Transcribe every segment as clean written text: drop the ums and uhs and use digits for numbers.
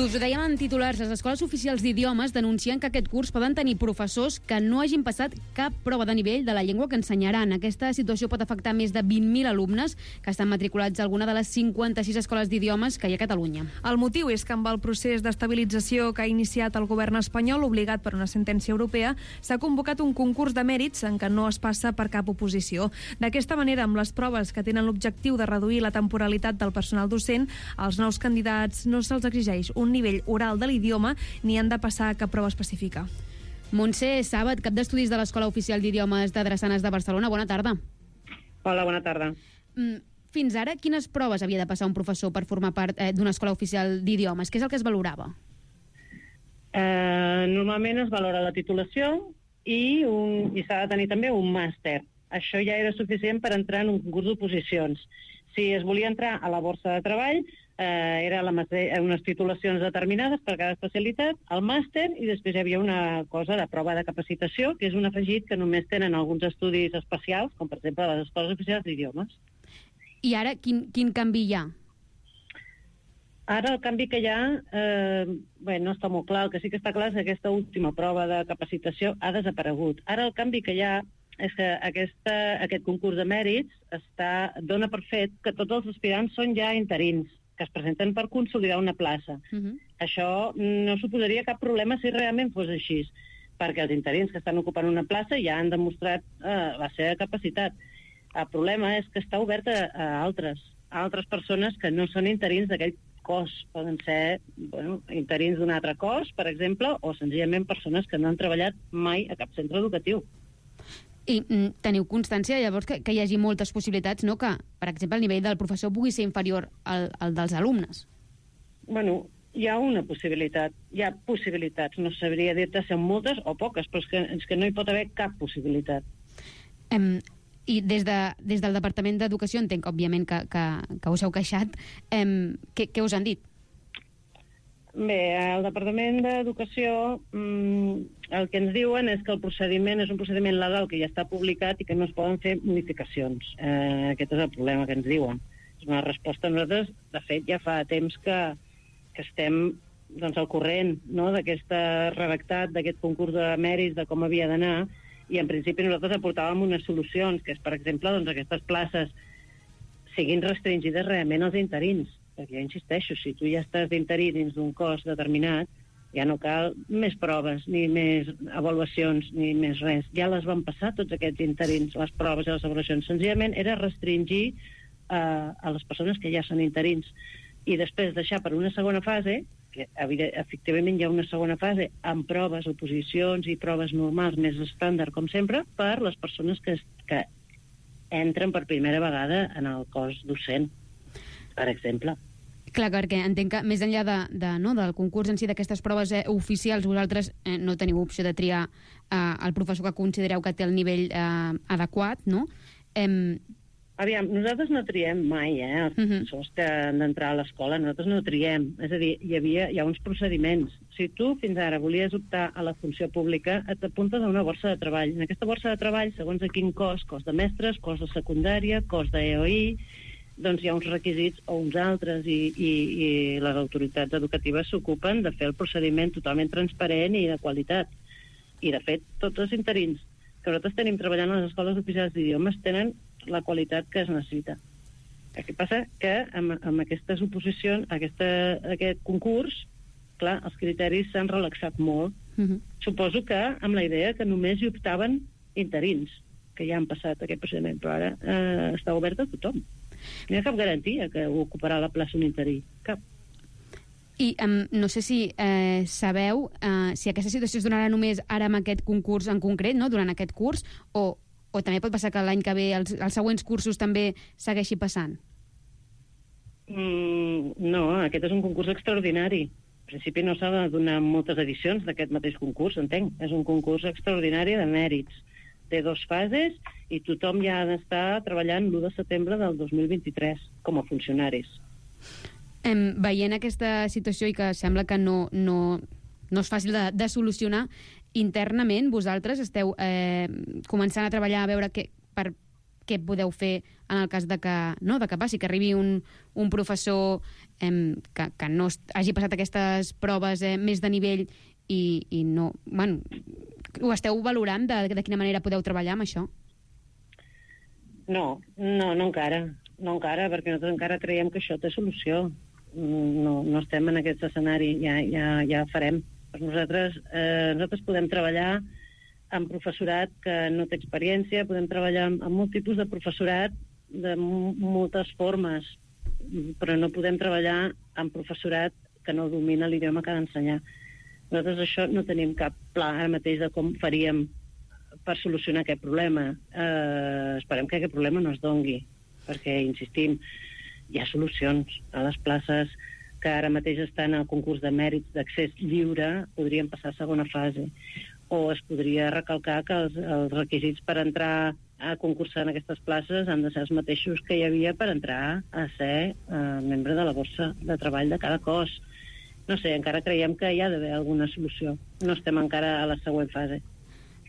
us ho dèiem en titulars, les escoles oficials d'idiomes denuncien que aquest curs poden tenir professors que no hagin passat cap prova de nivell de la llengua que ensenyaran. Aquesta situació pot afectar més de 20.000 alumnes que estan matriculats a alguna de les 56 escoles d'idiomes que hi ha a Catalunya. El motiu és que amb el procés d'estabilització que ha iniciat el govern espanyol, obligat per una sentència europea, s'ha convocat un concurs de mèrits en què no es passa per cap oposició. D'aquesta manera, amb les proves que tenen l'objectiu de reduir la temporalitat del personal docent, als nous candidats no se'ls exigeix un nivell oral de l'idioma ni han de passar cap prova específica. Montse Sàbat, cap d'estudis de l'Escola Oficial d'Idiomes de Drassanes de Barcelona. Bona tarda. Hola, bona tarda. Fins ara, quines proves havia de passar un professor per formar part d'una escola oficial d'idiomes? Què és el que es valorava? Normalment es valora la titulació i s'ha de tenir també un màster. Això ja era suficient per entrar en un concurs d'oposicions. Si es volia entrar a la borsa de treball, era unes titulacions determinades per cada especialitat, el màster, i després hi havia una cosa de prova de capacitació, que és un afegit que només tenen alguns estudis especials, com per exemple les escoles oficials d'idiomes. I ara, quin canvi hi ha? Ara el canvi que hi ha, no està molt clar. El que sí que està clar és que aquesta última prova de capacitació ha desaparegut. Ara el canvi que hi ha és que aquest concurs de mèrits dona per fet que tots els aspirants són ja interins, que es presenten per consolidar una plaça. Això no suposaria cap problema si realment fos així, perquè els interins que estan ocupant una plaça ja han demostrat la seva capacitat. El problema és que està obert a altres persones que no són interins d'aquell cos. Poden ser interins d'un altre cos, per exemple, o senzillament persones que no han treballat mai a cap centre educatiu. I teniu constància, llavors, que hi hagi moltes possibilitats, no? Que, per exemple, el nivell del professor pugui ser inferior al dels alumnes? Bueno, hi ha una possibilitat. Hi ha possibilitats. No sabria dir-te si són moltes o poques, però és que no hi pot haver cap possibilitat. I des del Departament d'Educació entenc, òbviament, que us heu queixat. Què us han dit? Bé, al Departament d'Educació el que ens diuen és que el procediment és un procediment legal que ja està publicat i que no es poden fer modificacions. Aquest és el problema que ens diuen. És una resposta. Nosaltres, de fet, ja fa temps que estem al corrent, no?, d'aquest redactat, d'aquest concurs de mèrits, de com havia d'anar, i en principi nosaltres aportàvem unes solucions, que és, per exemple, aquestes places siguin restringides realment als interins. Perquè jo insisteixo, si tu ja estàs d'interí dins d'un cos determinat, ja no cal més proves, ni més avaluacions, ni més res. Ja les van passar tots aquests interins, les proves i les avaluacions. Senzillament era restringir a les persones que ja són interins. I després deixar per una segona fase, que efectivament hi ha una segona fase, amb proves, oposicions i proves normals, més estàndard, com sempre, per les persones que entren per primera vegada en el cos docent, per exemple. Clar, perquè entenc que més enllà del concurs en si, d'aquestes proves oficials, vosaltres no teniu opció de triar el professor que considereu que té el nivell adequat, no? Aviam, nosaltres no triem mai, els professors que han d'entrar a l'escola, nosaltres no triem. És a dir, hi ha uns procediments. Si tu fins ara volies optar a la funció pública, et apuntes a una borsa de treball. En aquesta borsa de treball, segons a quin cos de mestres, cos de secundària, cos d'EOI, doncs hi ha uns requisits o uns altres i les autoritats educatives s'ocupen de fer el procediment totalment transparent i de qualitat. I, de fet, tots els interins que nosaltres tenim treballant a les escoles oficials d'idiomes tenen la qualitat que es necessita. El que passa que amb aquestes oposicions, aquest concurs, clar, els criteris s'han relaxat molt. Suposo que amb la idea que només hi optaven interins, que ja han passat aquest procediment, però ara està obert a tothom. No hi ha cap garantia que ocuparà la plaça un interí. Cap. I no sé si sabeu si aquesta situació es donarà només ara amb aquest concurs en concret, no?, durant aquest curs, o també pot passar que l'any que ve els següents cursos també segueixi passant? No, aquest és un concurs extraordinari. En principi no s'ha de donar moltes edicions d'aquest mateix concurs, entenc. És un concurs extraordinari de mèrits. Té 2 fases i tothom ja ha d'estar treballant l'1 de setembre del 2023 com a funcionaris. Veient aquesta situació i que sembla que no és fàcil de solucionar, internament vosaltres esteu començant a treballar a veure per què podeu fer en el cas de que passi, que arribi un professor que no hagi passat aquestes proves més de nivell i no... Bueno, ho esteu valorant de quina manera podeu treballar amb això? No encara. No encara, perquè nosaltres encara creiem que això té solució. No estem en aquest escenari, ja farem. Per nosaltres podem treballar amb professorat que no té experiència, podem treballar amb molt tipus de professorat de moltes formes, però no podem treballar amb professorat que no domina l'idioma que ha d'ensenyar. Nosaltres això no tenim cap pla ara mateix de com faríem per solucionar aquest problema. Esperem que aquest problema no es dongui, perquè, insistim, hi ha solucions a les places que ara mateix estan al concurs de mèrits d'accés lliure, podrien passar a segona fase. O es podria recalcar que els requisits per entrar a concursar en aquestes places han de ser els mateixos que hi havia per entrar a ser membre de la borsa de treball de cada cos. No sé, encara creiem que hi ha d'haver alguna solució. No estem encara a la següent fase.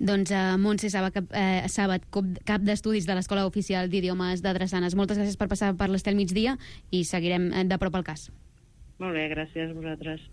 Doncs Montse Sàbat, cap d'estudis de l'Escola Oficial d'Idiomes de Drassanes. Moltes gràcies per passar per l'Estel Migdia i seguirem de prop el cas. Molt bé, gràcies a vosaltres.